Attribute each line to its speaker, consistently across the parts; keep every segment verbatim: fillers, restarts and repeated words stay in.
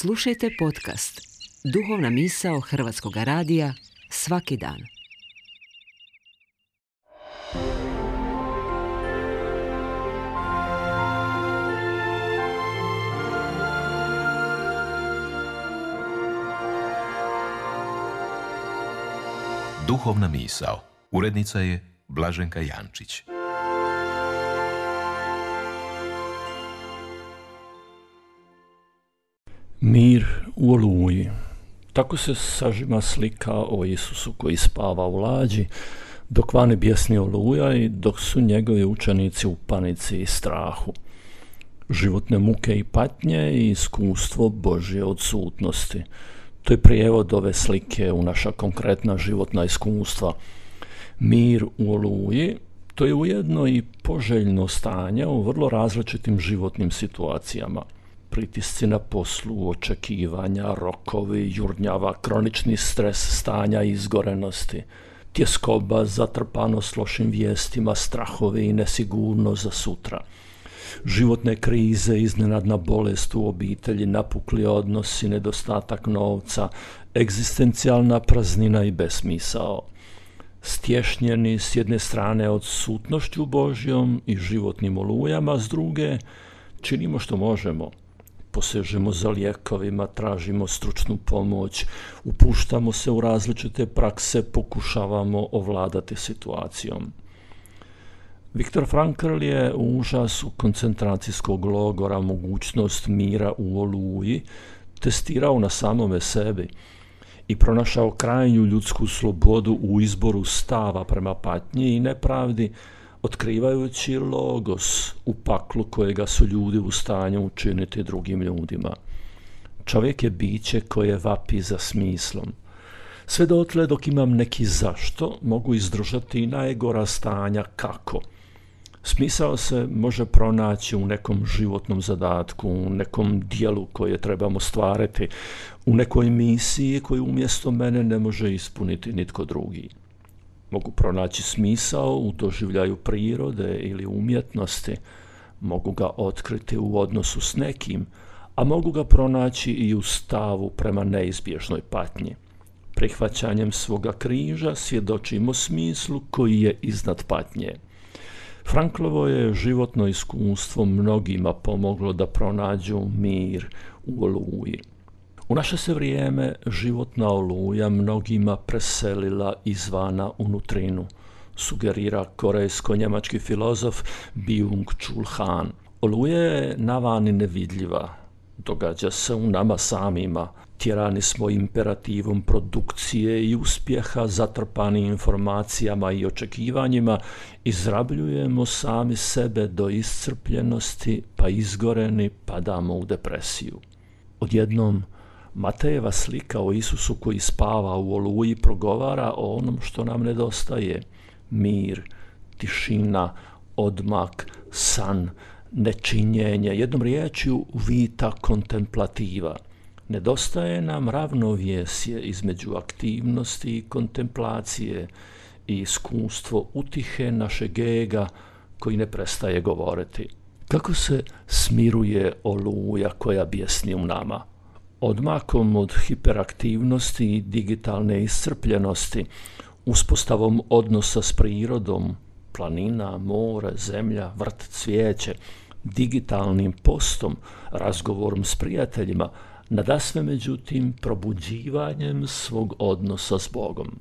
Speaker 1: Slušajte podcast Duhovna misao Hrvatskog radija svaki dan.
Speaker 2: Duhovna misao. Urednica je Blaženka Jančić.
Speaker 3: Mir u oluji. Tako se sažima slika o Isusu koji spava u lađi, dok vani bjesni oluja i dok su njegovi učenici u panici i strahu. Životne muke i patnje i iskustvo Božje odsutnosti. To je prijevod ove slike u naša konkretna životna iskustva. Mir u oluji, to je ujedno i poželjno stanje u vrlo različitim životnim situacijama. Pritisci na poslu, očekivanja, rokovi, jurnjava, kronični stres stanja izgorenosti, tjeskoba, zatrpanost lošim vijestima, strahovi i nesigurnost za sutra. Životne krize, iznenadna bolest u obitelji, napukli odnosi, nedostatak novca, egzistencijalna praznina i besmisao. Stješnjeni s jedne strane odsutnošću Božjom i životnim olujama, s druge činimo što možemo. Posežemo za lijekovima, tražimo stručnu pomoć, upuštamo se u različite prakse, pokušavamo ovladati situacijom. Viktor Frankl je u užasu koncentracijskog logora mogućnost mira u oluji testirao na samome sebi i pronašao krajnju ljudsku slobodu u izboru stava prema patnji i nepravdi, otkrivajući logos u paklu kojega su ljudi u stanju učiniti drugim ljudima. Čovjek je biće koje vapi za smislom. Sve dotle dok imam neki zašto, mogu izdržati i najgora stanja kako. Smisao se može pronaći u nekom životnom zadatku, u nekom dijelu koje trebamo stvariti, u nekoj misiji koju umjesto mene ne može ispuniti nitko drugi. Mogu pronaći smisao u doživljaju prirode ili umjetnosti, mogu ga otkriti u odnosu s nekim, a mogu ga pronaći i u stavu prema neizbježnoj patnji. Prihvaćanjem svoga križa svjedočimo smislu koji je iznad patnje. Franklovo je životno iskustvo mnogima pomoglo da pronađu mir u oluji. U naše se vrijeme životna oluja mnogima preselila izvana unutrinu, sugerira korejsko-njemački filozof Byung-Chul Han. Oluja je navani nevidljiva, događa se u nama samima. Tjerani smo imperativom produkcije i uspjeha, zatrpani informacijama i očekivanjima, izrabljujemo sami sebe do iscrpljenosti, pa izgoreni padamo u depresiju. Odjednom Matejeva slika o Isusu koji spava u oluji progovara o onom što nam nedostaje. Mir, tišina, odmak, san, nečinjenje, jednom riječju vita kontemplativa. Nedostaje nam ravnovjesje između aktivnosti i kontemplacije i iskustvo utihe našeg ega koji ne prestaje govoriti. Kako se smiruje oluja koja bjesni u nama? Odmakom od hiperaktivnosti i digitalne iscrpljenosti, uspostavom odnosa s prirodom, planina, more, zemlja, vrt, cvijeće, digitalnim postom, razgovorom s prijateljima, nadasve međutim probuđivanjem svog odnosa s Bogom.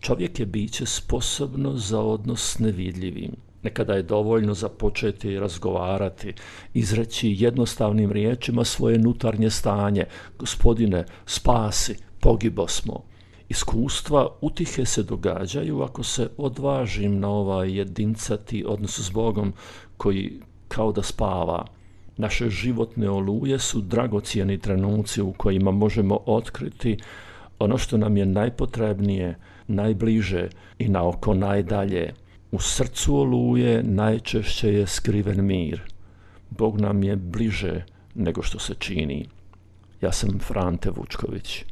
Speaker 3: Čovjek je biće sposobno za odnos s nevidljivim. Nekada je dovoljno započeti razgovarati, izreći jednostavnim riječima svoje unutarnje stanje. Gospodine, spasi, pogibo smo. Iskustva utihe se događaju ako se odvažim na ovaj jedincati odnos s Bogom koji kao da spava. Naše životne oluje su dragocjeni trenuci u kojima možemo otkriti ono što nam je najpotrebnije, najbliže i na oko najdalje. U srcu oluje najčešće je skriven mir. Bog nam je bliže nego što se čini. Ja sam Frante Vučković.